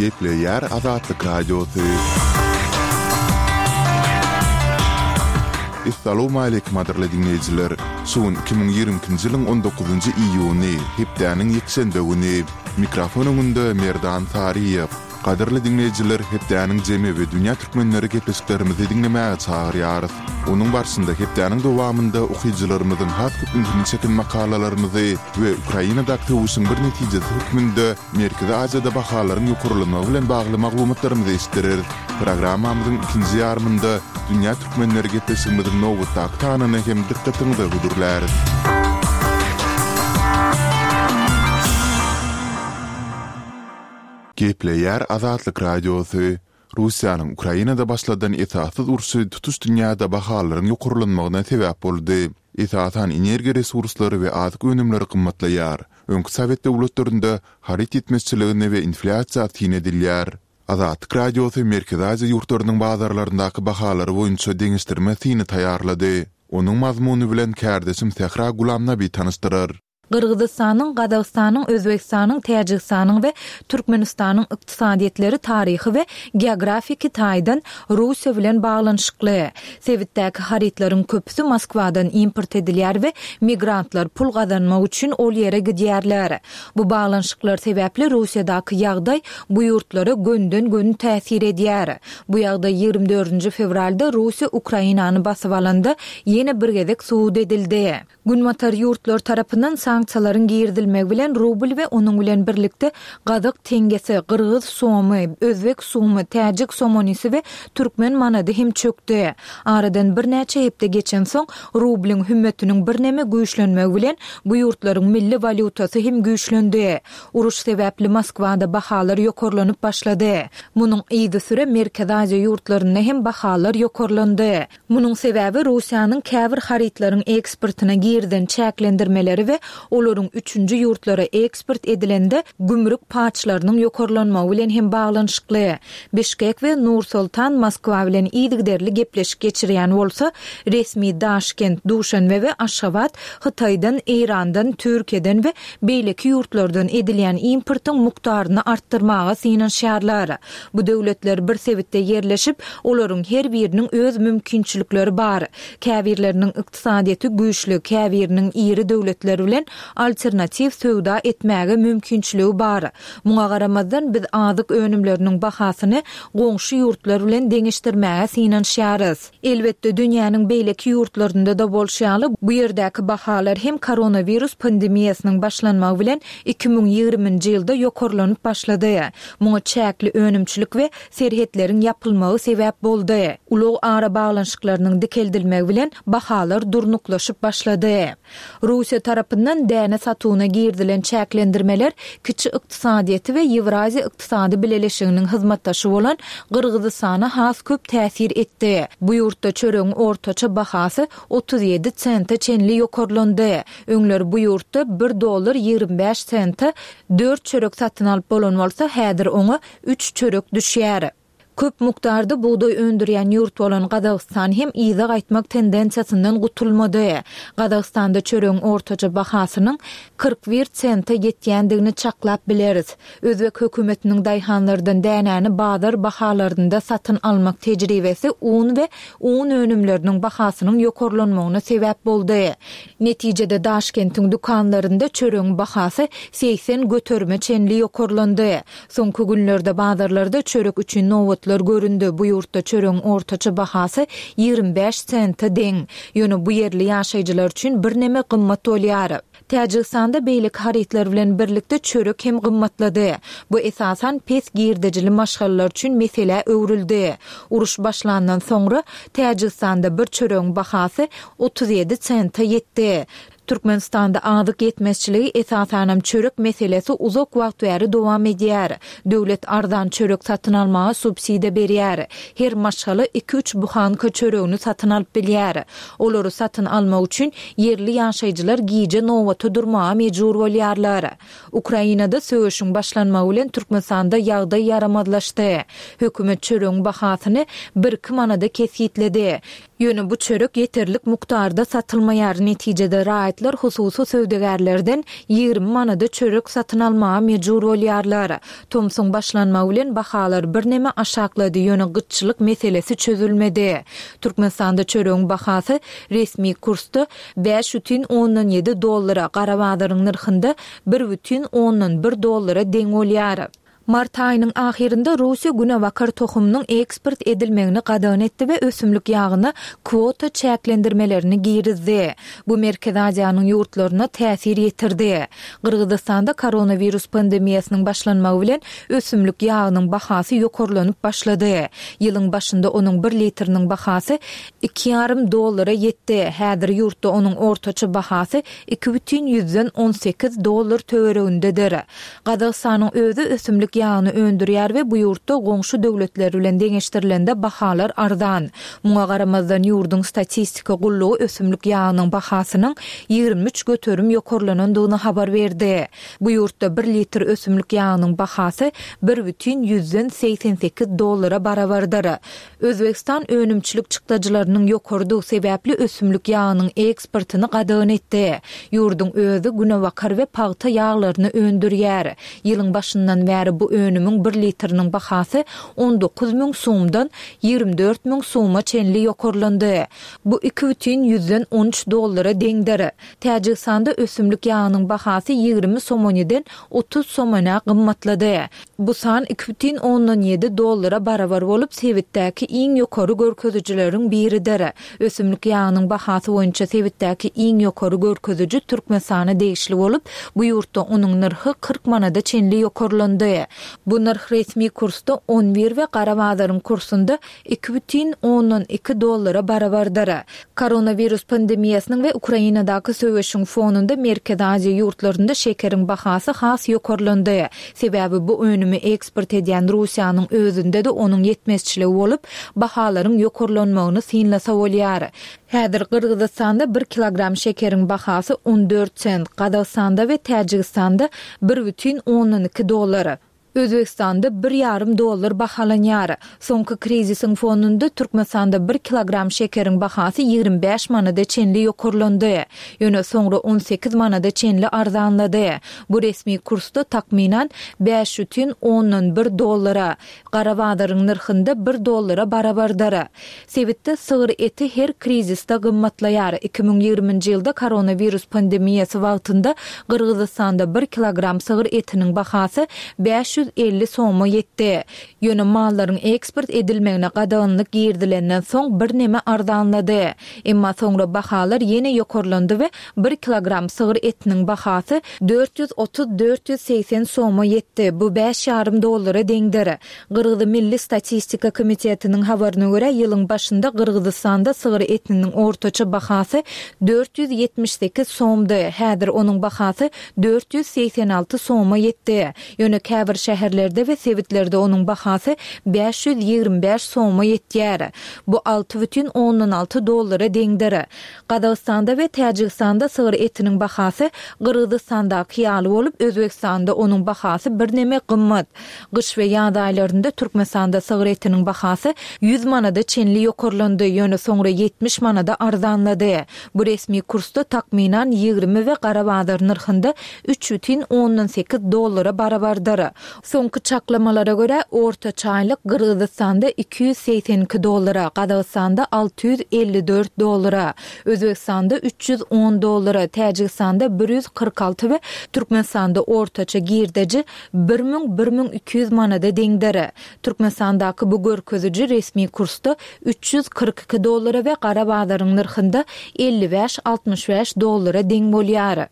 Gepleýär Azatlyk Radiosy. Essalawmaleýkim gadyrly diňleýjiler! Şu gün 2022-nji ýylyň on dokuzynjy iýuny, hepdäniň ýekşenbe güni. Mikrofon öňünde Merdan Saryýew. Gadyrly diňleýjiler, hepdäniň jemi we dünýä türkmenleri gepleşiklerimizi diňlemäge çagyrýarys. Onuň barşynda hepdäniň dowamynda okyjylarymyzyň has köp ünsüni çeken makalalarymyzy we Ukrainadaky söweşiň bir netijesi hökmünde Merkezi Aziýada bahalaryň ýokarlanmagy bilen bagly maglumatlarymyzy eşitdireris. Programmamyzyň ikinji ýarymynda Dünýä türkmenleri gepleşigimiziň nobatdaky sanyny hem dykgatyňyza hödürläris. Gepleýär Azatlyk Radiosy, Russiýanyň Ukrainada başladan esassyz urşy tutuş dünýäde bahalaryň ýokarlanmagyna sebäp boldy. Esasan energiýa resurslary we azyk önümleri gymmatlaýar. Öňki sowet döwletlerinde haryt ýetmezçiligine we inflýasiýa syn edilýär. Azatlyk Radiosy Merkezi Aziýa ýurtlarynyň bazarlaryndaky bahalary boýunça deňeşdirme syny taýýarlady. Onuň mazmuny bilen kärdeşim Sähra Gulamnabi tanyşdyrar. Gyrgyzystanyň, Gazagystanyň, Özbegistanyň, Täjigistanyň we Türkmenistanyň ykdysadyýetleri taryhy we geografiki taýdan Russiýa bilen baglanyşykly. Sebitdäki harytlaryň köpüsi Moskwadan import edilýär we migrantlar pul gazanmak üçin ol ýere gidýärler. Bu baglanyşyklar sebäpli Russiýadaky ýagdaý bu ýurtlara gönden-göni täsir edýär. Bu ýagdaý 24 fewralda Russiýa Ukrainany basyp alanda ýene bir gezek subut edildi. Günbatar ýurtlary tarapyndan sanksiýalaryň girizilmegi bilen rubl we onuň bilen birlikde gazak teňňesi, gyrgyz somy, özbek sumy, täjik somonisi we türkmen manady hem çökdi. Aradan birnäçe hepde geçensoň, rublyň hümmetiniň birneme güýçlenmegi bilen bu ýurtlaryň milli walýutasy hem güýçlendi. Uruş sebäpli Moskwada bahalar ýokarlanyp başlady. Munuň yzysüre Merkezi Aziýa ýurtlarynda hem bahalar ýokarlandy. Munuň sebäbi Russiýanyň käbir harytlaryň eksportyna girizen çäklendirmeleri we olaryň üçünji ýurtlara eksport edilende gümrük paçlarynyň ýokarlanmagy bilen hem baglanyşykly. Bişkek we Nur-Sultan Moskwa bilen yzygiderli gepleşik geçirýän bolsa, resmi Daşkent, Duşanbe we Aşgabat Hytaýdan, Eýrandan, Türkiýeden we beýleki ýurtlardan edilýän importyň mukdaryny artdyrmaga synanyşýarlar. Bu döwletler bir sebitde ýerleşip, olaryň her biriniň öz mümkinçilikleri bar. Käbirleriniň ykdysadyýeti güýçli, käbiriniň iri döwletler bilen alternatiw söwda etmäge mümkinçiligi bar. Muňa garamazdan, biz azyk önümleriniň bahasyny goňşy ýurtlar bilen deňeşdirmäge synanyşýarys. Elbetde, dünýäniň beýleki ýurtlarynda-da bolşy ýaly, bu ýerdäki bahalar hem koronawirus pandemiýasynyň başlanmagy bilen 2020-nji ýylda ýokarlanyp başlady. Muňa çäkli önümçilik we serhetleriň ýapylmagy sebäp boldy. Ulag arabaglanyşyklarynyň dikeldilmegi bilen bahalar durnuklaşyp başlady. Russiýa tarapyndan däne satuwyna girizilen çäklendirmeler kiçi ykdysadyýeti we Ýewraziýa ykdysady bileleşiginiň hyzmatdaşy bolan Gyrgyzystana has köp täsir etdi. Bu ýurtda çöregiň ortaça bahasy 37 sente çenli ýokarlandy. Öňler bu ýurtda bir dollar 25 sente dört çörek satyn alyp bolan bolsa, häzir oňa üç çörek düşýär. Köp mukdarda bugdaý öndürýän ýurt bolan Gazagystan hem yza gaýtmak tendensiýasyndan gutulmady. Gazagystanda çöregiň ortaça bahasynyň 41 sente ýetýändigini çaklap bileris. Özbek hökümetiniň daýhanlardan dänäni bazar bahalarynda satyn almak tejribesi un we un önümleriniň bahasynyň ýokarlanmagyna sebäp boldy. Netijede Daşkentiň dükanlarynda çöregiň bahasy 80 göterime çenli ýokarlandy. Soňky günlerde bazarlarda çörek üçin nobatlar göründi, bu ýurtda çöregiň ortaça bahasy 25 sente deň. Ýöne bu ýerli ýaşaýjylar üçin birneme gymmat bolýar. Täjigistanda beýleki harytlar bilen birlikde çörek hem gymmatlady. Bu esasan pes girdejili maşgalalar üçin meselä öwrüldi. Uruş başlandan soňra, Täjigistanda bir çöregiň bahasy 37 sente ýetdi. Türkmenistanda azyk ýetmezçiligi, esasanam çörek meselesi uzak wagt bäri dowam edýär. Döwlet arzan çörek satyn almaga subsidiýa berýär. Her maşgala iki-üç buhanka çöregini satyn alyp bilýär. Olary satyn almak üçin ýerli ýaşaýjylar gije nobata durmaga mejbur bolýarlar. Ukrainada söweşiň başlanmagy bilen Türkmenistanda ýagdaý ýaramazlaşdy. Hökümet çöregiň bahasyny birki manada kesgitledi. Ýöne bu çörek ýeterlik mukdarda satylmaýar, netijede raýatlar hususy söwdagärlerden 20 manada çörek satyn almaga mejbur bolýarlar. Tomsuň başlanmagy bilen bahalar birneme aşaklady, ýöne gytçylyk meselesi çözülmedi. Türkmenistanda çöregiň bahasy resmi kursda 5,7 dollara, gara bazaryň nyrhynda 1,1 dollara deň bolýar. Mart aýynyň ahyrynda Russiýa günebakar tohumynyň eksport edilmegini gadagan etdi we ösümlik ýagyna kwota çäklendirmelerini girizdi. Bu Merkezi Aziýanyň ýurtlaryna täsir ýetirdi. Gyrgyzystanda koronawirus pandemiýasynyň başlanmagy bilen ösümlik ýagynyň bahasy ýokarlanyp başlady. Ýylyň başynda onuň bir litriniň bahasy iki ýarym dollara ýetdi. Häzir ýurtda onuň ortaça bahasy 2,18 dollar töweregindedir. Gazagystanyň özi ösümlik ýagyny öndürýär we bu ýurtda goňşy döwletler bilen deňeşdirilende bahalar arzan. Muňa garamazdan ýurduň statistika gullugy ösümlik ýagynyň bahasynyň 23% ýokarlanandygyny habar berdi. Bu ýurtda bir litr ösümlik ýagynyň bahasy 1,88 dollara barabardyr. Özbegistan önümçilik çykdajylarynyň ýokarydygy sebäpli ösümlik ýagynyň eksportyny gadagan etdi. Ýurduň özi günebakar we pagta ýaglaryny öndürýär. Ýylyň başyndan bäri bu önümiň bir litriniň bahasy 19 müň sumdan 24 müň suma çenli ýokarlandy. Bu 2,13 dollara deňdir. Täjigistanda ösümlik ýagynyň bahasy 20 somoniden 30 somonä gymmatlady. Bu san 2,7 dollara barabar bolup, sebitdäki iň ýokary görkezijileriň biridir. Ösümlik ýagynyň bahasy boýunça sebitdäki iň ýokary görkeziji Türkmenistana degişli bolup, bu ýurtda onuň nyrhy 40 manada çenli ýokarlandy. Bu nyrh resmi kursda on bir we gara bazaryň kursunda 2,2 dollara barabardyr. Koronawirus pandemiýasynyň we Ukrainadaky söweşiň fonunda Merkezi Aziýa ýurtlarynda şekeriň bahasy has ýokarlandy. Sebäbi bu önümi eksport edýän Russiýanyň özünde-de onuň ýetmezçiligi bolup, bahalaryň ýokarlanmagyny synlasa bolýar. Häzir Gyrgyzystanda bir kilogram şekeriň bahasy 14 sent, Gazagystanda we Täjigistanda 1,2 dollar. Özbegistanda bir ýarym dollar bahalanýar. Soňky krizisiň fonunda Türkmenistanda bir kilogram şekeriň bahasy 25 manada çenli ýokarlandy. Ýöne soňra 18 manada çenli arzanlady. Bu resmi kursda takmynan 5,1 dollara, gara bazaryň nyrhynda bir dollara barabardyr. Sebitde sygyr eti her krizisde gymmatlaýar. 2020-nji ýylda koronawirus pandemiýasy wagtynda Gyrgyzystanda bir kilogram sygyr etiniň bahasy 550 soma ýetdi. Ýöne mallaryň eksport edilmegine gadaganlyk girizilenden soň birneme arzanlady. Emma soňra bahalar ýene ýokarlandy we bir kilogram sygyr etiniň bahasy 430-480 soma ýetdi, bu bäş ýarym dollara deňdir. Gyrgyz Milli statistika komitetiniň habaryna görä, ýylyň başynda Gyrgyzystanda sygyr etiniň ortaça bahasy 478 somdy, häzir onuň bahasy 486 soma ýetdi. Ýöne käbir şäherlerde we sebitlerde onuň bahasy 525 soma ýetýär. Bu 6,6 dollara deňdir. Gazagystanda we Täjigistanda sygyr etiniň bahasy Gyrgyzystandaky ýaly bolup, Özbegistanda onuň bahasy birneme gymmat. Gyş we ýaz aýlarynda Türkmenistanda sygyr etiniň bahasy 100 manada çenli ýokarlandy, ýöne soňra 70 manada arzanlady. Bu resmi kursda takmynan 20 we gara bazar nyrhynda 3,8 dollara barabardyr. Soňky çaklamalara görä, ortaça aýlyk Gyrgyzystanda 282 dollara, Gazagystanda 654 dollara, Özbegistanda 310 dollara, Täjigistanda 146 we Türkmenistanda ortaça girdeji 1000, 1200 manada deňdir. Türkmenistandaky bu görkeziji resmi kursda 342 dollara we gara bazaryň nyrhynda 55, 65 dollara deň bolýar.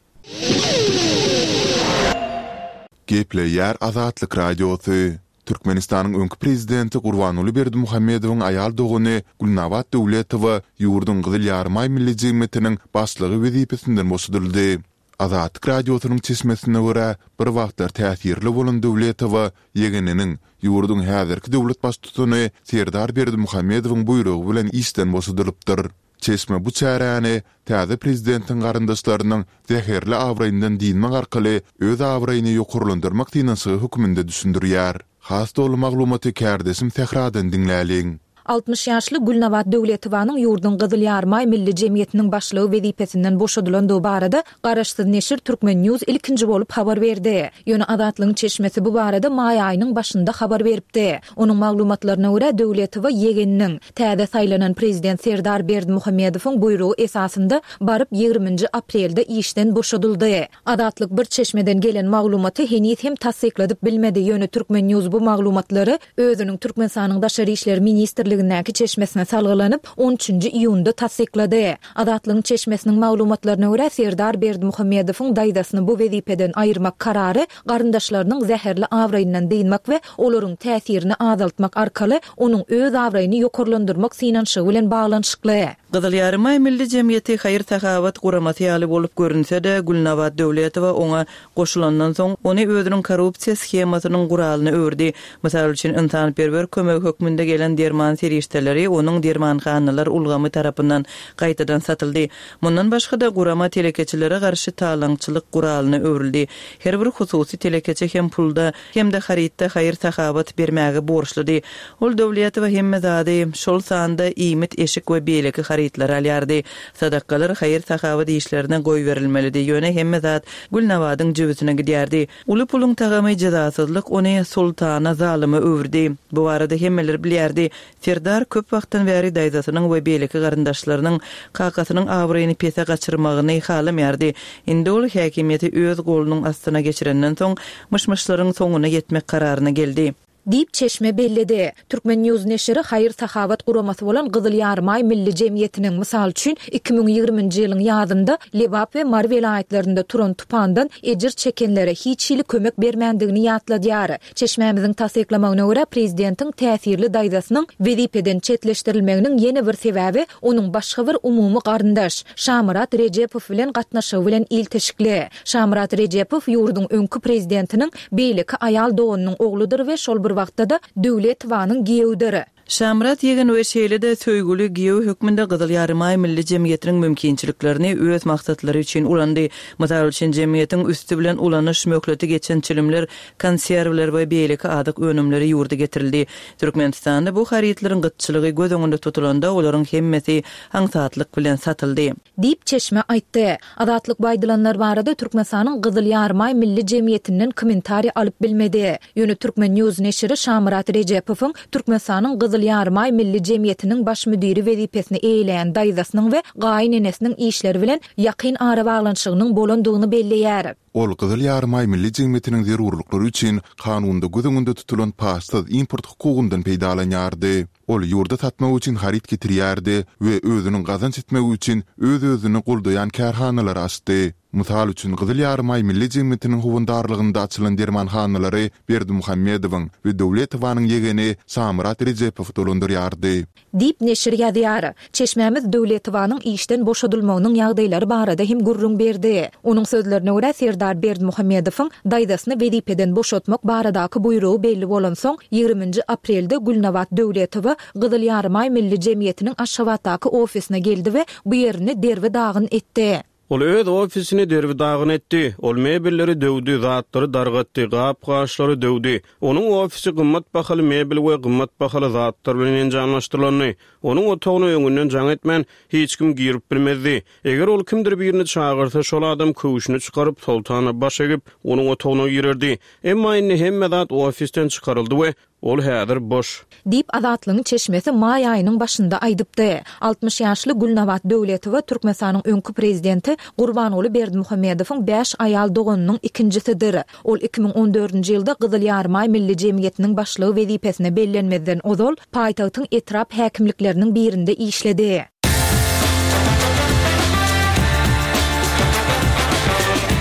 Gepleýär Azatlyk Radiosy. Türkmenistanyň öňki prezidenti Gurbanguly Berdimuhamedowyň aýal dogany Gülnabat Döwletowa ýurduň Gyzyl Ýarymaý Milli jemgyýetiniň başlygy wezipesinden boşadyldy. Azatlyk Radiosynyň çeşmesine görä, bir wagtlar täsirli bolan Döwletowa ýegeniniň, ýurduň häzirki döwlet baştutany Serdar Berdimuhamedowyň buýrugy bilen işden boşadylypdyr. Çeşme bu çäräni täze prezidentiň garyndaşlarynyň zäherli abraýyndan dynmak arkaly öz abraýyny ýokarlandyrmak synanyşygy hökmünde düşündirýär. Has doly maglumaty kärdeşim Sähradan diňläliň. 60 ýaşly Gülnabat Döwletowanyň ýurduň Gyzyl Ýarymaý Milli jemgyýetiniň başlygy wezipesinden boşadylandygy barada garaşsyz neşir Turkmen. News ilkinji bolup habar berdi. Ýöne Azatlygyň çeşmesi bu barada maý aýynyň başynda habar beripdi. Onuň maglumatlaryna görä, Döwletowa ýegeniniň, täze saýlanan prezident Serdar Berdimuhamedowyň buýrugy esasynda baryp ýigriminji aprelde işden boşadyldy. Azatlyk bir çeşmeden gelen maglumaty heniz hem tassykladyp bilmedi, ýöne Turkmen. News bu maglumatlary özüniň Türkmenistanyň Daşary işler ministrligindäki çeşmesine salgylanyp, on üçünji iýunda tassyklady. Azatlygyň çeşmesiniň maglumatlaryna görä, Serdar Berdimuhamedowyň daýzasyny bu wezipeden aýyrmak karary garyndaşlarynyň zäherli abraýyndan dynmak we olaryň täsirini azaltmak arkaly onuň öz abraýyny ýokarlandyrmak synanyşygy bilen baglanyşykly. Gyzyl Ýarymaý Milli jemgyýeti haýyr-sahawat guramasy ýaly bolup görünse-de, Gülnabat Döwletowa oňa goşulandan soň, ony özüniň korrupsiýa shemasynyň guralyna öwürdi. Mysal üçin, ynsanperwer kömegi hökmünde gelen derman serişdeleri onuň dermanhanalar ulgamy tarapyndan gaýtadan satyldy. Mundan başga-da, gurama telekeçilere garşy talaňçylyk guralyna öwrüldi. Her bir hususy telekeçi hem pulda, hem-de harytda haýyr-sahawat bermäge borçludy. Ol Döwletowa hemme zady, şol sanda iýmit, eşik we beýleki harytlary alýardy. Sadakalar haýyr-sahawat işlerine goýberilmelidi, ýöne hemme zat Gülnabadyň jübüsine gidýärdi. Uly puluň tagamy jezasyzlyk ony soltana, zalyma öwürdi. Bu barada hemmeler bilýärdi. Serdar köp wagtdan bäri daýzasynyň we beýleki garyndaşlarynyň kakasynyň abraýyny pese gaçyrmagyny halamaýardy. Indi ol häkimiýeti öz golunyň astyna geçirenden soň, myş-myşlaryň soňuna ýetmek kararyna geldi. Diýip, çeşme belledi. Turkmen. News neşiri haýyr-sahawat guramasy bolan Gyzyl Ýarymaý Milli jemgyýetiniň, mysal üçin, 2020-nji ýylyň ýazynda Lebap we Mary welaýatlarynda turan tupandan ejir çekenlere hiç hili kömek bermändigini ýatladýar. Çeşmämiziň tassyklamagyna görä, prezidentiň täsirli daýzasynyň wezipeden çetleşdirilmeginiň ýene bir sebäbi onuň başga bir umumy garyndaş, Şamyrat Rejepow bilen gatnaşygy bilen ilteşikli. Şamyrat Rejepow ýurduň öňki prezidentiniň beýleki aýal doganynyň ogludyr we şol bir wagtda-da Döwletowanyň giýewidir. Şamyrat ýegen we şeýle-de söýgüli giýew hökmünde Gyzyl Ýarymaý Milli jemgyýetiniň mümkinçiliklerini öz maksatlary üçin ulandy. Mysal üçin, jemgyýetiň üsti bilen ulanyş möhleti geçen çilimler, konserwler we beýleki azyk önümleri ýurda getirildi. Türkmenistanda bu harytlaryň gytçylygy göz öňünde tutulanda, olaryň hemmesi aňsatlyk bilen satyldy. Diýip, çeşme aýtdy. Azatlyk bu aýdylanlar barada Türkmenistanyň Gyzyl Ýarymaý Milli jemgyýetinden kommentariý alyp bilmedi. Ýöne Turkmen. News neşiri Şamyrat Rejepowyň Türkmenistanyň Gyzyl Ýarymaý Milli jemgyýetiniň baş müdiri wezipesini eýeleýän daýzasynyň we gaýynenesiniň işleri bilen ýakyn arabaglanyşygynyň bolandygyny belleýär. Ol Gyzyl Ýarymaý Milli jemgyýetiniň zerurlyklary üçin kanunda göz öňünde tutulan paçsyz import hukugyndan peýdalanýardy. Ol ýurda satmak üçin haryt getirýärdi we özüniň gazanç etmegi üçin öz-özüni goldaýan kärhanalary açdy. Mysal üçin, Gyzyl Ýarymaý Milli jemgyýetiniň howandarlygynda açylan dermanhanalary Berdimuhamedowyň we Döwletowanyň ýegeni Şamyrat Rejepow dolandyrýardy. Diýip, neşir ýazýar. Çeşmämiz Döwletowanyň işden boşadylmagynyň ýagdaýlary barada hem gürrüň berdi. Onuň sözlerine görä, Serdar Berdimuhamedowyň daýzasyny wezipeden boşatmak baradaky buýrugy belli bolansoň, ýigriminji aprelde Gülnabat Döwletowa Gyzyl Ýarymaý Milli jemgyýetiniň Aşgabatdaky ofisine geldi we bu ýerini derbi-dagyn etdi. Ol öz ofisini derbi-dagyn etdi. Ol mebelleri döwdi, zatlary dargatdy, gap-gaçlary döwdi. Onuň ofisi gymmat bahaly mebel we gymmat bahaly zatlar bilen enjamlaşdyrylandy. Onuň otagyna öňünden jaň etmän, hiç kim girip bilmezdi. Eger ol kimdir birini çagyrsa, şol adam köwşüni çykaryp, Soltana baş egip, onuň otagyna girerdi. Emma indi hemme zat ofisden çykaryldy we Ol häzir boş. Diýip, Azatlygyň çeşmesi maý aýynyň başynda aýdypdy. 60 ýaşly Gülnabat Döwletowa Türkmenistanyň öňki prezidenti Gurbanguly Berdimuhamedowyň bäş aýal doganynyň ikinjisidir. Ol 2014-nji ýylda Gyzyl Ýarymaý Milli jemgyýetiniň başlygy wezipesine bellenmezden ozal, paýtagtyň etrap häkimlikleriniň birinde işledi.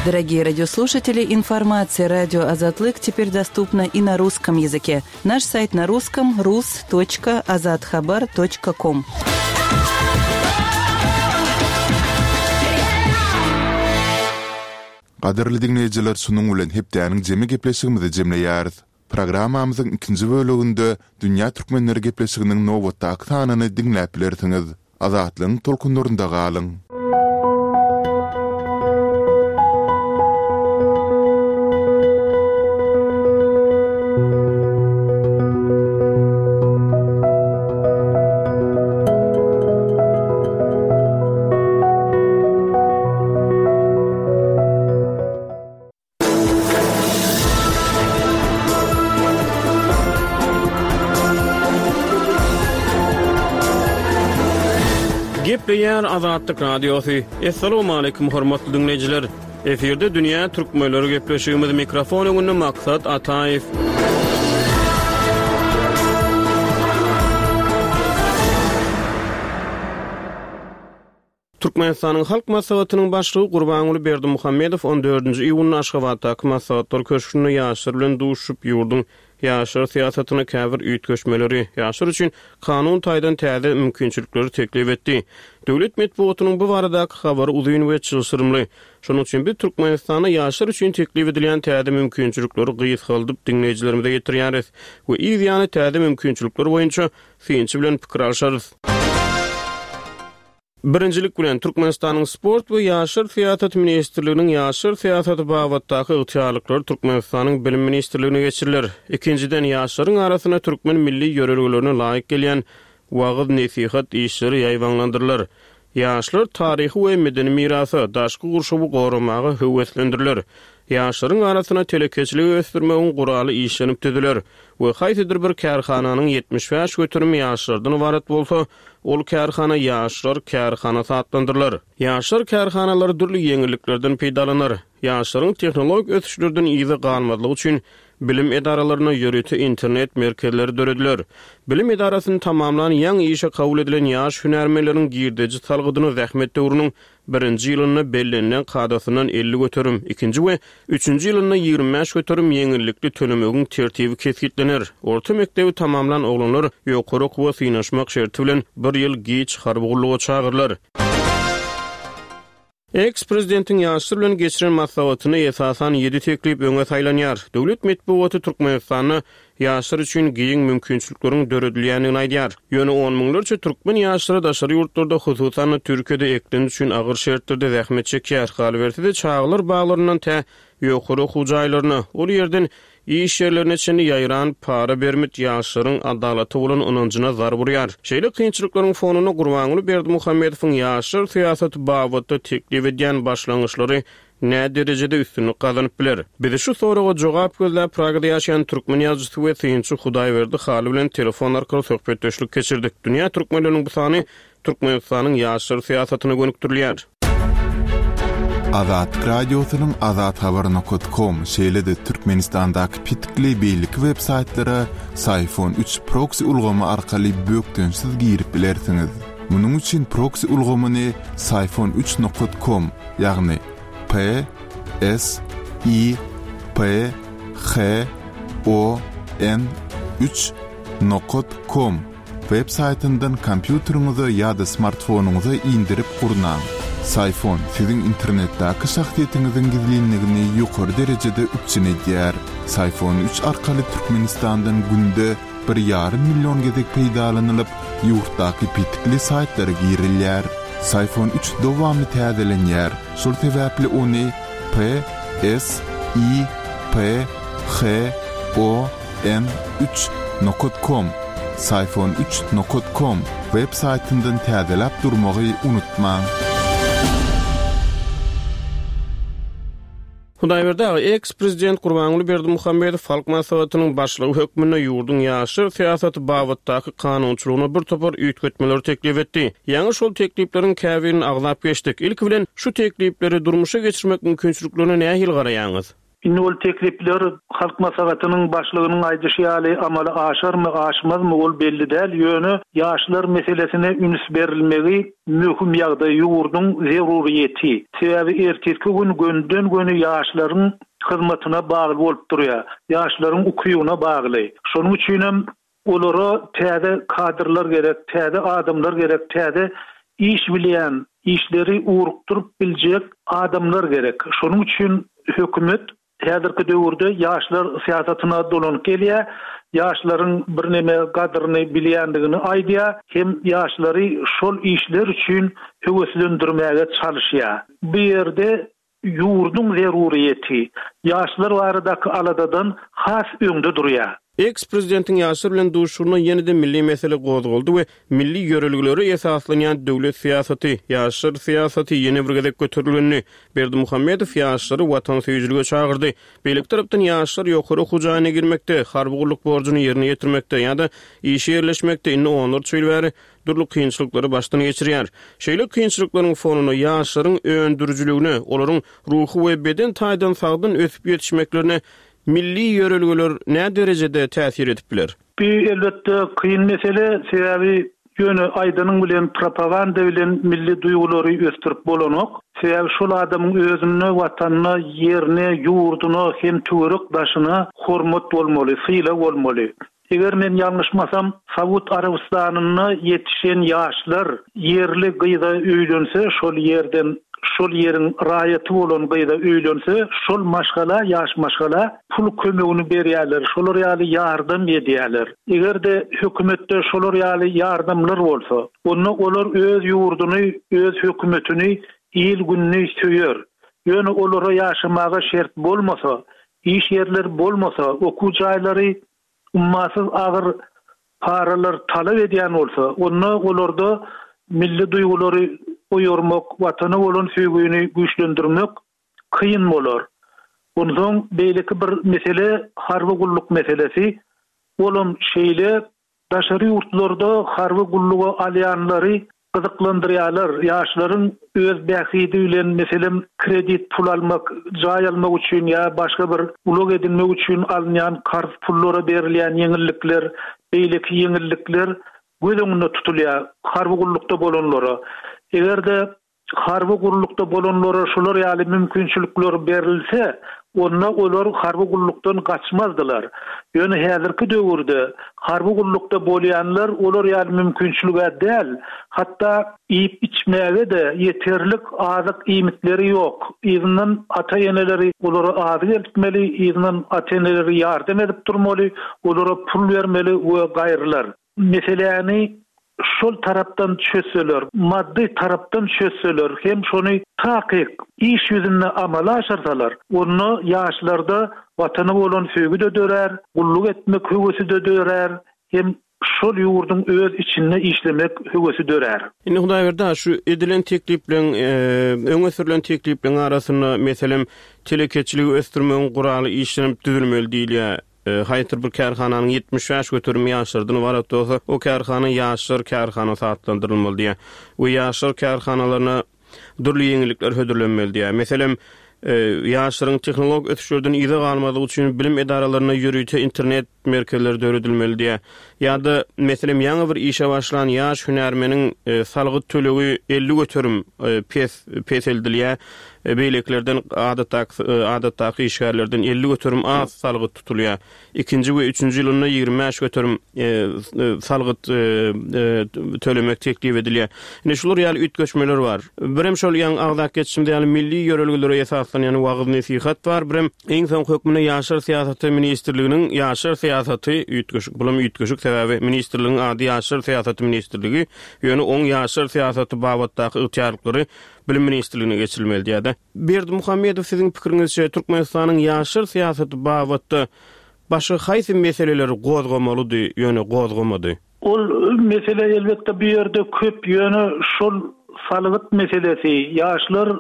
Дорогие радиослушатели, информация радио Азатлык теперь доступна и на русском языке. Наш сайт на русском rus.azathabar.com. Gadyrly diňleýjiler şunuň bilen hepdäniň jemi gepleşigimizi jemleýäris. Programmamyzyň ikinji böleginde Dünýä Türkmenleri gepleşiginiň nobatdaky sanyny diňläp bilersiňiz. Azatlygyň tolkunlarynda galyň! Gepleýär Azatlyk Radiosy. Assalamualaikum hormatly diňleýjiler. Efirde dünýä türkmenleri gepleşigimiz mikrofon öňünde Maksat Ataýew. Türkmenistanyň Halk Maslahatynyň Başlygy Gurbanguly Berdimuhamedow on dördünji iýunda Aşgabatdaky Maslahatlar köşgünde ýaşlar bilen duşuşyp, ýurduň ýaşlar syýasatynda käbir üýtgeşmeleri, ýaşlar üçin kanun taýdan täze mümkinçilikleri teklip etdi. Döwlet metbugatynyň bu baradaky habary uzyn we çylşyrymly. Şonuň üçin biz Türkmenistanda ýaşlar üçin teklip edilýän täze mümkinçilikleri gysgaldyp diňleýjilerimize ýetirýäris we yz ýany täze mümkinçilikler boýunça synçy bilen pikir alşarys. Birinjilik bilen, Türkmenistanyň Sport we ýaşlar syýasaty ministrliginiň ýaşlar syýasaty babatdaky ygtyýarlyklary Türkmenistanyň Bilim ministrligine geçiriler. Ikinjiden, ýaşlaryň arasynda türkmen milli ýörelgelerine laýyk gelýän wagyz-nesihat işleri ýaýbaňlandyrylar. Ýaşlar taryhy we medeni mirasa, daşky gurşawy goramaga höweslendiriler. Ýaşlaryň arasynda telekeçiligi ösdürmegiň guraly işlenip düzüler we haýsydyr bir kärhananyň 75 göterimi ýaşlardan ybarat bolsa, Ol kärhana ýaşlar kärhanasy atlandyrylar. Ýaşlar kärhanalary dürli ýeňilliklerden peýdalanar. Ýaşlaryň tehnologik ösüşlerden yza galmazlygy üçin bilim edaralarynda ýörite internet merkezleri dörediler. Bilim edarasyny tamamlan ýaňy işe kabul edilen ýaş hünärmenleriň girdeji salgydyny zähmet döwrüniň Birinji ýylynda bellenilen kadasyndan 50%, ikinji we üçünji ýylynda 25% ýeňillikli tölemegiň tertibi kesgitlener. Orta mekdebi tamamlan oglanlar ýokary okuwa synanyşmak şerti bilen bir ýyl giç harby gulluga çagyrylar. Eks-prezidentiň ýaşlar bilen geçiren maslahatynda esasan ýedi teklip öňe saýlanýar. Döwlet metbugaty Türkmenistanda ýaşlar üçin giň mümkinçilikleriň döredilýändigini aýdýar. Ýöne on müňlerçe türkmen ýaşlary daşary ýurtlarda, hususan-da Türkiýede eklenç üçin agyr şertlerde zähmet çekýär. Galyberse-de, çagalar baglaryndan tä ýokary okuw jaýlaryna, ol ýerden iş ýerlerine çenli ýaýran para-bermit ýaşlaryň adalata bolan ynanjyna zarb urýar. Şeýle kynçylyklaryň fonunda Gurbanguly Berdimuhamedowyň ýaşlar syýasaty babatda teklip edýän başlangyçlary nä derejede üstünlik gazanyp biler? Biz şu soraga jogap gözläp Pragada ýaşaýan türkmen ýazyjysy we synçy Hudaýberdi Hally bilen telefon arkaly söhbetdeşlik geçirdik. Dünýä türkmenleriniň bu sany Türkmenistanyň ýaşlar syýasatyna gönükdirilýär. Azatlyk Radiosynyň Azathabar nokat kom şeýle-de Türkmenistandaky petikli beýleki web saýtlara Syfon üç proksi ulgamy arkaly bökdençsiz girip bilersiňiz. Munuň üçin proksi ulgamyny Syfon üç nokat kom ýagny P S I P H O N üç nokat kom web saýtyndan kompýuteriňize ýa-da smartfonyňyza indirip gurnaň. Syfon siziň internetdäki şahsyýetiňiziň gizlinligini ýokary derejede üpjün edýär. Syfon üç arkaly Türkmenistandan günde bir ýarym million gezek peýdalanylyp, ýurtdaky petikli saýtlara girilýär. Syfon üç dowamly täzelenýär, şol sebäpli ony P S I P H O N üç nokat kom, Syfon üç nokat kom, web saýtyndan täzeläp durmagy unutmaň. Hudaýberdi aga, eks-prezident Gurbanguly Berdimuhamedow Halk Maslahatynyň başlygy hökmünde ýurduň ýaşlar syýasaty babatdaky kanunçylygyna bir topar üýtgetmeleri teklip etdi. Ýaňy şol teklipleriň käbirini agzap geçdik. Ilki bilen, şu teklipleri durmuşa geçirmek mümkinçiliklerine nähili garaýaňyz? Indi ol teklipler Halk Maslahatynyň başlygynyň aýdyşy ýaly amala aşarmy, aşmazmy ol belli däl, ýöne ýaşlar meselesine üns berilmegi möhüm ýagdaý, ýurduň zeruryýeti. Sebäbi ertirki gün gönüden-göni ýaşlaryň hyzmatyna bagly bolup durýar. Ýaşlaryň ukybyna bagly. Şonuň üçinem olara täze kadrlar gerek, täze adamlar gerek, täze iş bilýän, işleri ugrukdyryp biljek adamlar gerek. Şonuň üçin hökümet Häzirki döwürde ýaşlar syýasatyna dolanyp gelýär, ýaşlaryň birneme gadyryny bilýändigini aýdýar hem ýaşlary şol işler üçin höweslendirmäge çalyşýar. Bu ýerde ýurduň zeruryýeti ýaşlar baradaky aladadan has öňde durýar. Eks-prezidentiň ýaşlar bilen duşuşygynda ýene-de milli mesele gozgaldy we milli ýörelgelere esaslanýan döwlet syýasaty, ýaşlar syýasaty ýene bir gezek göterilgendi. Berdimuhamedow ýaşlary watansöýüjilige çagyrdy. Beýleki tarapdan ýaşlar ýokary okuw jaýyna girmekde, harby gulluk borjuny ýerine ýetirmekde ýa-da işe ýerleşmekde indi onlarça ýyl bäri dürli kynçylyklary başdan geçirýär. Şeýle kynçylyklaryň fonunda ýaşlaryň öndürijiligine, olaryň ruhy we beden taýdan sagdyn ösüp ýetişmeklerine Milli ýörelgeler nä derejede täsir edip biler? Bu elbetde kyn mesele, sebäbi ýöne aýdanyň bilen propaganda bilen milli duýgulary ösdürip bolanok. Sebäbi şol adamyň özünde watanyna, ýerine, ýurduna hem töwerek daşyna hormat bolmaly, sylag bolmaly. Eger men ýalňyşmasam, Saud Arabystanynda ýetişen ýaşlar ýerli gyza öýlense, şol ýerden, şol ýeriň raýaty bolan gyza öýlense, şol maşgala, ýaş maşgala pul kömegini berýärler, şolar ýaly ýardam edýärler. Eger-de hökümetde şolar ýaly ýardamlar bolsa, onda olar öz ýurduny, öz hökümetini, il-gününi söýer. Ýöne olara ýaşamaga şert bolmasa, Iş ýerleri bolmasa, okuw jaýlary ummasyz agyr paralar talap edýän bolsa, onda olarda milli duýgulary oýarmak, Watana bolan söýgüni güýçlendirmek kyn bolar. Onsoň beýleki bir mesele harby gulluk meselesi. Olam şeýle Daşary ýurtlarda harby gulluga alýanlary gyzyklandyrýarlar. Ýaşlaryň öz bähbidi bilen, meselem, kredit pul almak, jaý almak üçin ýa başga bir ulag edinmek üçin alynýan karz pullara berilýän ýeňillikler, beýleki ýeňillikler göz öňünde tutulýar harby gullukda bolanlara. Eger-de Harby gullukda bolanlara şular ýaly mümkinçilikler berilse, onda olar harby gullukdan gaçmazdylar. Ýöne häzirki döwürde harby gullukda bolýanlar olar ýaly mümkinçilig-ä däl, hatda iýip-içmäge-de ýeterlik azyk-iýmitleri ýok. Yzyndan ata-eneleri olara azyk eltmeli, yzyndan ata-eneleri ýardam edip durmaly, olara pul bermeli we gaýrylar. Meseläni şol tarapdan çözseler, maddy tarapdan çözseler hem şony takyk iş ýüzünde amala aşyrsalar, onda ýaşlarda Watana bolan söýgi-de dörär, gulluk etmek höwesi-de dörär hem şol ýurduň öz içinde işlemek höwesi dörär. Indi Hudaýberdi aga, şu edilen teklipleň, öňe sürlen teklipleň arasynda, meselem, telekeçiligi ösdürmegiň guraly işlenip düzülmeli diýilýär. Haýsydyr bir kärhananyň 75 göterimi ýaşlardan ybarat bolsa, o kärhana ýaşlar kärhanasy atlandyrylmaly diýýär we ýaşlar kärhanalaryna dürli ýeňillikler hödürlenmeli diýýär. Meselem, ýaşlaryň tehnologik ösüşlerden yza galmazlygy üçin bilim edaralarynda ýörite internet merkezleri döredilmeli diýýär. Ýa-da, meselem, ýaňy bir işe başlan ýaş hünärmeniň salgyt tölegi 50% pes peseldilýär. Beýlekilerden adatdaky adatdaky işgärlerden 50% az salgyt tutulýar. Ikinji we üçünji ýylynda 25% salgyt tölemek teklip edilýär. Indi şular ýaly üýtgeşmeler bar. Birem şol ýaňy agzap geçişimiz ýaly milli ýörelgelere esaslanýan wagyz-nesihat bar. Birem iň soňky hökmünde Ýaşlar syýasaty ministrliginiň Ýaşlar syýasaty üýtgeşik, bulam üýtgeşik, sebäbi ministrligiň ady Ýaşlar syýasaty ministrligi, ýöne oň ýaşlar syýasaty babatdaky ygtyýarlyklary Bilim ministrligine geçirilmeli diýýär-de. Berdimuhamedow siziň pikiriňizçe Türkmenistanyň ýaşlar syýasaty babatda başga haýsy meseleleri gozgamalydy, ýöne gozgamady? Ol mesele elbetde bu ýerde köp, ýöne şol salgyt meselesi, ýaşlar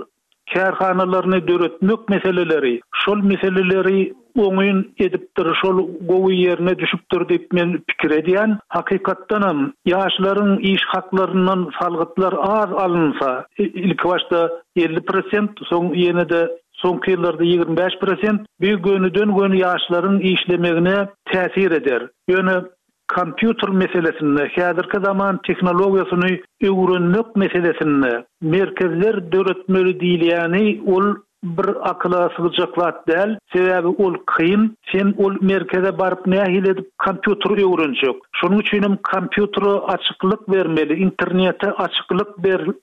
kärhanalaryny döretmek meseleleri, şol meseleleri oňyn edipdir, şol gowy ýerine düşüpdir diýip men pikir edýän. Hakykatdanam, ýaşlaryň iş haklaryndan salgytlar az alynsa, ilkibaşda 50 prosent, soň ýene-de soňky ýyllarda 25 prosent, bu gönüden-göni ýaşlaryň işlemegine täsir eder. Ýöne kompýuter meselesinde, häzirki zaman tehnologiýasyny öwrenmek meselesinde merkezler döretmeli diýilýäni ol bir akyla sygjak zat däl, sebäbi ol kyn, sen ol merkeze baryp nähili edip kompýuter öwrenjek? Şonuň üçinem kompýutere açyklyk bermeli, internete açyklyk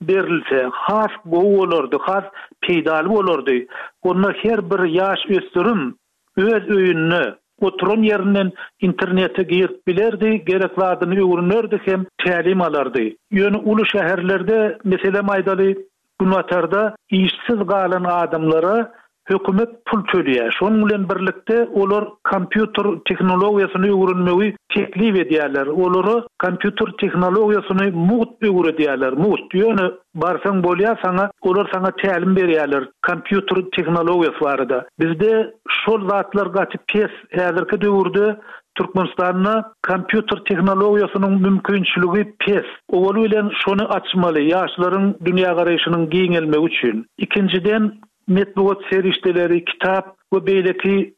berilse has gowy bolardy, has peýdaly bolardy. Onda her bir ýaş ösdürim öz öýünde, oturan ýerinden internete girip bilerdi, gerek zadyny öwrenerdi hem tälim alardy. Ýöne uly şäherlerde, meselem aýdaly, Günbatarda işsiz galan adamlara. Hökümet pul töleýär. Şonuň bilen birlikde olar kompýuter tehnologiýasyny öwrenmegi teklip edýärler. Olara kompýuter tehnologiýasyny mugt öwredýärler, mugt. Ýöne barsaň bolýar saňa, olar saňa tälim berýärler kompýuter tehnologiýasy barada. Bizde şol zatlar gaty pes. Häzirki döwürde Türkmenistanda kompýuter tehnologiýasynyň mümkinçiligi pes. Owaly bilen şony açmaly, ýaşlaryň dünýägaraýşynyň giňelmegi üçin. Ikinjiden, metbugat serişdeleri, kitap we beýleki,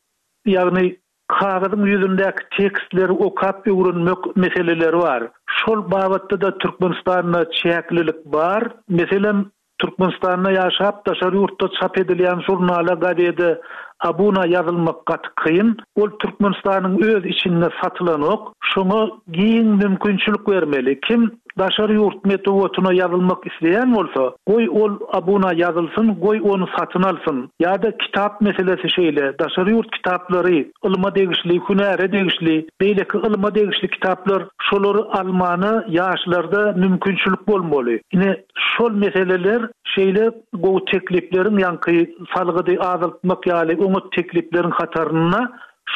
ýagny kagyzyň ýüzündäki tekstleri okap öwrenmek meseleleri bar. Şol babatda-da Türkmenistanda çäklilik bar. Meselem, Türkmenistanda ýaşap, daşary ýurtda çap edilýän žurnala, gazede abuna ýazylmak gaty kyn. Ol Türkmenistanyň öz içinde satylanok. Şoňa giň mümkinçilik bermeli. Kim daşary ýurt metbugatyna ýazylmak isleýän bolsa, goý ol abuna ýazylsyn, goý ony satyn alsyn. Ýa-da kitap meselesi şeýle, daşary ýurt kitaplary, ylma degişli, hünäre degişli, beýleki ylma degişli kitaplar, şolary almana ýaşlarda mümkinçilik bolmaly. Ine, şol meseleler şeýle gowy teklipleriň, ýaňky salgydy azaltmak ýaly oňat teklipleriň hatarynda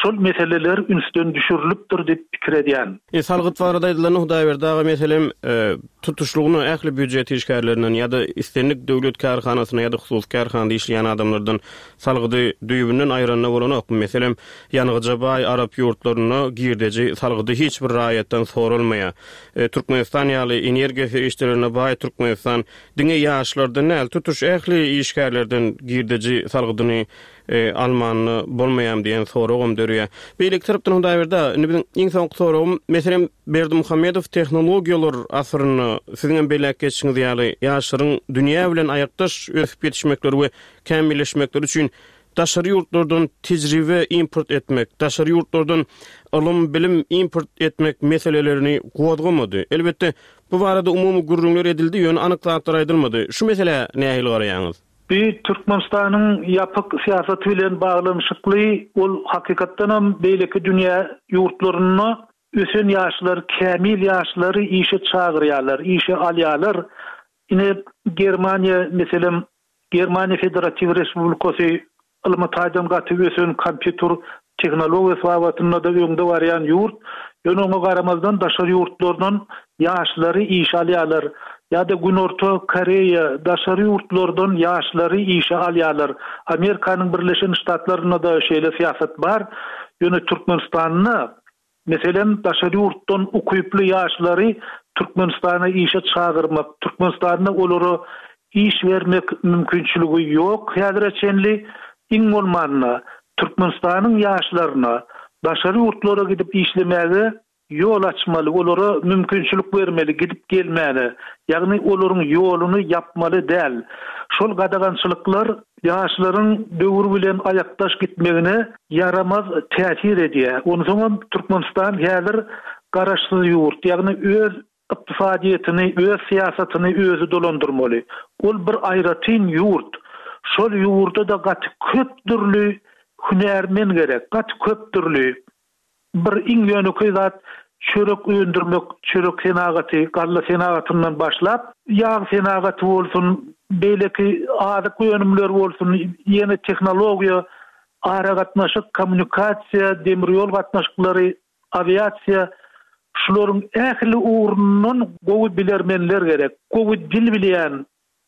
şol meseleler ünsden düşürilipdir diýip pikir edýän. E, salgyt barada aýdylanda Hudaýberdi aga meselem, tutuşlygyna ähli býujet işgärlerinden ýa-da islendik döwlet kärhanasynda ýa-da hususy kärhanada işleýän adamlardan salgydy düýbünden aýranda bolanokmy? Meselem, ýangyja baý arap ýurtlarynda girdeji salgydy hiç bir raýatdan soralmaýar. Türkmenistan ýaly energiýa serişdelerine baý Türkmenistan diňe ýaşlardan däl, tutuş ähli işgärlerden girdeji salgydyny almanda bolmaýarmy diýen soragam döreýär. Beýleki tarapdan Hudaýberdi aga, indi biziň iň soňky soragym, meselem, Berdimuhamedow tehnologiýalar asyrynda siziň hem belläp geçişiňiz ýaly, ýaşlaryň dünýä bilen aýakdaş ösüp ýetişmekleri we kämilleşmekleri üçin daşary ýurtlardan tejribe import etmek, daşary ýurtlardan ylym-bilim import etmek meselelerini gozgamady. Elbetde, bu barada umumy gürrüňler edildi, ýöne anyk zatlar aýdylmady. Şu meselä nähili garaýaňyz? Bu Türkmenistanyň ýapyk syýasaty bilen baglanyşykly, ol hakykatdanam beýleki dünýä ýurtlarynda ösen ýaşlar, kämil ýaşlary işe çagyrýarlar, işe alýarlar. Ine, Germaniýa, meselem, Germaniýa Federatiw Respublikasy ylmy taýdan gaty ösen kompýuter tehnologiýasy babatynda-da öňde barýan ýurt. Ýöne oňa garamazdan daşary ýurtlardan ýaşlary işe alýarlar. Ýa-da Günorta Koreýa daşary ýurtlardan ýaşlary işe alýarlar. Amerikanyň Birleşen Ştatlarynda-da şeýle syýasat bar. Ýöne Türkmenistanda Meselem, daşary ýurtdan ukyply ýaşlary Türkmenistana işe çagyrmak, Türkmenistanda olara iş bermek mümkinçiligi ýok häzire çenli. Iň bolmanda, Türkmenistanyň ýaşlaryna daşary ýurtlara gidip işlemäge ýol açmaly, olara mümkinçilik bermeli gidip gelmäne. Ýagny olaryň ýoluny ýapmaly däl. Şol gadagançylyklar ýaşlaryň döwür bilen aýakdaş gitmegine ýaramaz täsir edýär. Onsoňam Türkmenistan häzir garaşsyz ýurt, ýagny öz ykdysadyýetini, öz syýasatyny özi dolandyrmaly. Ol bir aýratyn ýurt. Şol ýurda-da gaty köp dürli hünärmen gerek, gaty köp dürli. Bir iň ýönekeý zat çörek öndürmek, çörek senagaty, galla senagatyndan başlap, ýag senagaty bolsun, beýleki azyk önümleri bolsun, ýene tehnologiýa, aragatnaşyk, kommunikasiýa, demir ýol gatnaşyklary, awiasiýa, şularyň ähli ugrundan gowy bilermenler gerek. Gowy dil bilýän,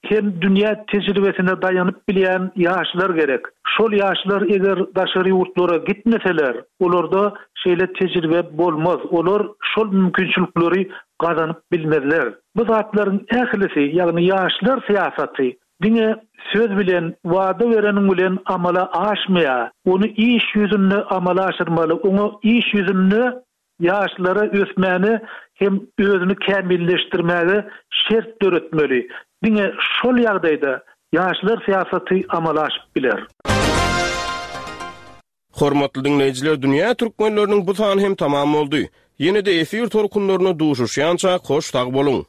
hem dünýä tejribesine daýanyp bilýän ýaşlar gerek. Şol ýaşlar eger daşary ýurtlara gitmeseler, olarda şeýle tejribe bolmaz, olar şol mümkinçilikleri gazanyp bilmezler. Bu zatlaryň ählisi, ýagny ýaşlar syýasaty diňe söz bilen, wada bereniň bilen amala aşmaýar. Ony iş ýüzünde amala aşyrmaly, oňa iş ýüzünde Ýaşlara ösmäne hem özüni kämilleşdirmäge şert döretmeli. Diňe şol ýagdaýda ýaşlar syýasaty amala aşyp biler. Hormatly diňleýjiler Dünýä Türkmenleriniň bu sany hem tamam boldy. Ýene-de efir tolkunlarynda duşuşýançak hoş sag boluň.